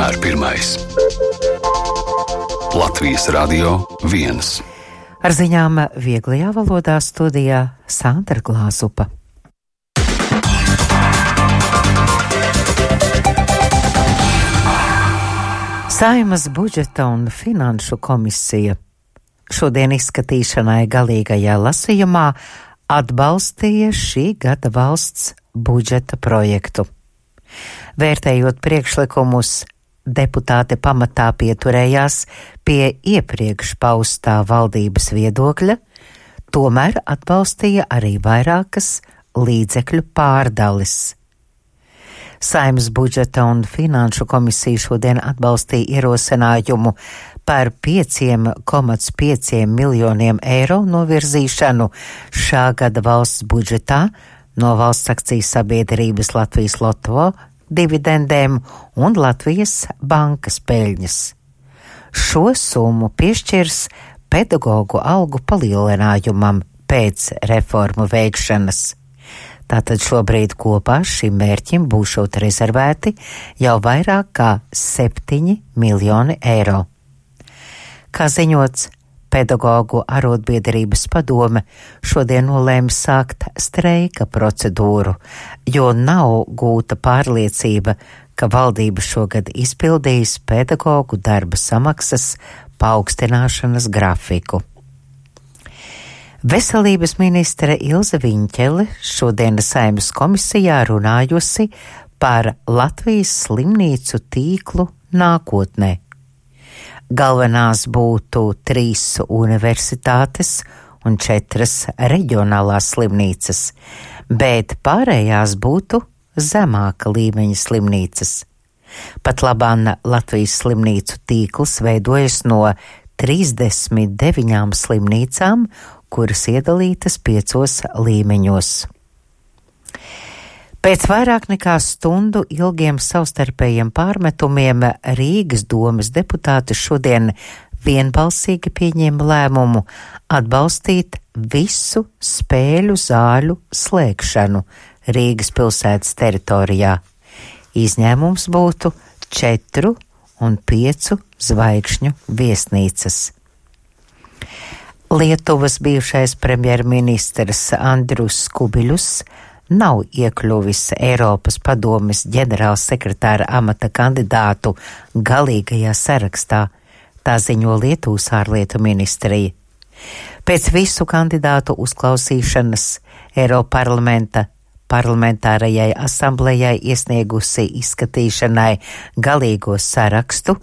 vienmēr pirmais. Latvijas Radio 1. Ar ziņām vieglajā valodā studijā Sandra Glāzupa. Saeimas budžeta un finanšu komisija šodien izskatīšanai galīgajā lasījumā atbalstīja šī gada valsts budžeta projektu. Vērtējot priekšlikumus, deputāti pamatā pieturējās pie iepriekš paustā valdības viedokļa, tomēr atbalstīja arī vairākas līdzekļu pārdalis. Saeimas budžeta un finanšu komisija šodien atbalstīja ierosinājumu par 5,5 miljoniem eiro novirzīšanu šā gada valsts budžetā no valsts akciju sabiedrības Latvijas Loto dividendēm un Latvijas bankas peļņas. Šo summu piešķirs pedagogu algu palielinājumam pēc reformu veikšanas. Tātad šobrīd kopā šim mērķim būšot rezervēti jau vairāk kā 7 miljoni eiro. Kā ziņots, pedagogu arotbiedrības padome šodien nolēma sākt streika procedūru, jo nav gūta pārliecība, ka valdība šogad izpildīs pedagogu darba samaksas paaugstināšanas grafiku. Veselības ministre Ilze Viņķele šodienas Saeimas komisijā runājusi par Latvijas slimnīcu tīklu nākotnē. Galvenās būtu 3 universitātes un 4 reģionālās slimnīcas, bet pārējās būtu zemāka līmeņa slimnīcas. Pat labāk Latvijas slimnīcu tīkls veidojas no 39 slimnīcām, kuras iedalītas 5 līmeņos. Pēc vairāk nekā stundu ilgiem savstarpējiem pārmetumiem Rīgas domes deputāti šodien vienbalsīgi pieņēma lēmumu atbalstīt visu spēļu zāļu slēgšanu Rīgas pilsētas teritorijā. Izņēmums būtu 4 un 5 zvaigžņu viesnīcas. Lietuvas bijušais premjerministrs Andrius Kubiļus nav iekļuvis Eiropas padomes ģenerālsekretāra amata kandidātu galīgajā sarakstā, tā ziņo Lietuvas ārlietu ministrija. Pēc visu kandidātu uzklausīšanas Eiroparlamenta parlamentārajai asamblejai iesniegusi izskatīšanai galīgo sarakstu,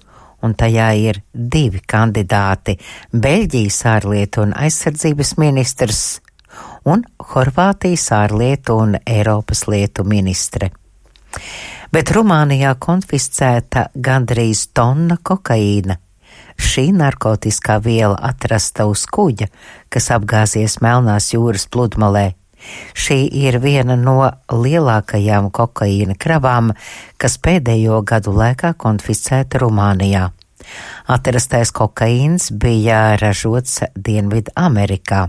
un tajā ir 2 kandidāti – Beļģijas ārlietu un aizsardzības ministrs un Horvātijas ārlietu un Eiropas lietu ministre. Bet Rumānijā konfiscēta gandrīz tonna kokaīna. Šī narkotiskā viela atrasta uz kuģa, kas apgāzies Melnās jūras pludmalē. Šī ir viena no lielākajām kokaīna kravām, kas pēdējo gadu laikā konfiscēta Rumānijā. Atrastais kokaīns bija ražots Dienvidu Amerikā.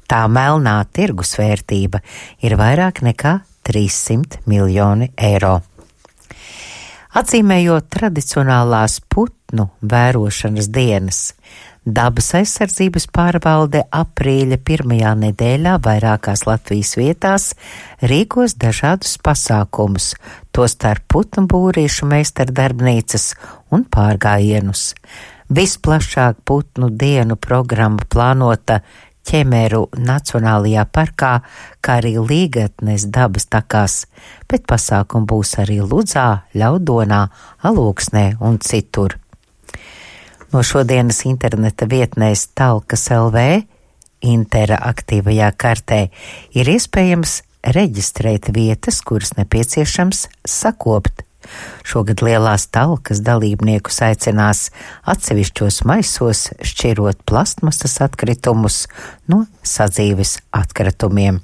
Tā melnā tirgusvērtība ir vairāk nekā 300 miljoni eiro. Atzīmējot tradicionālās putnu vērošanas dienas, Dabas aizsardzības pārvalde aprīļa 1. nedēļā vairākās Latvijas vietās rīkos dažādus pasākumus, tostarp putnu būrīšu meistardarbnīcas un pārgājienus. Visplašāk putnu dienu programma plānota Ķemeru Nacionālajā parkā, kā arī Līgatnes dabas takās, bet pasākumi būs arī Ludzā, Ļaudonā, Alūksnē un citur. No šodienas interneta vietnēs Talkas LV interaktīvajā kartē ir iespējams reģistrēt vietas, kuras nepieciešams sakopt. Šogad lielās talkas dalībniekus aicinās atsevišķos maisos šķirot plastmasas atkritumus no sadzīves atkritumiem.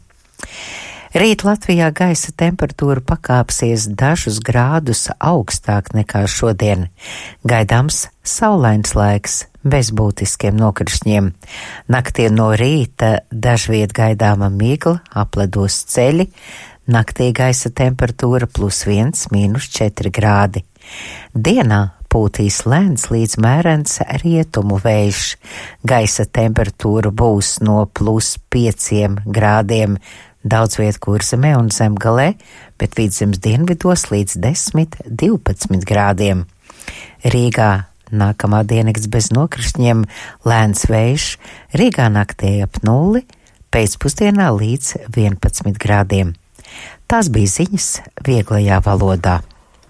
Rīt Latvijā gaisa temperatūra pakāpsies dažus grādus augstāk nekā šodien. Gaidāms saulains laiks bez būtiskiem nokrišņiem. Naktī no rīta dažviet gaidāma migla, apledos ceļi, Naktī gaisa temperatūra +1, -4 grādi. Dienā pūtīs lēns līdz mērens rietumu vējš. Gaisa temperatūra būs no +5 grādiem daudz viet Kurzemē un Zemgalē, bet Vidzemes dienvidos līdz 10–12 grādiem. Rīgā nākamā diennakts bez nokrišņiem, lēns vējš, Rīgā naktī ap 0, pēcpusdienā līdz 11 grādiem. Tās bija ziņas vieglajā valodā.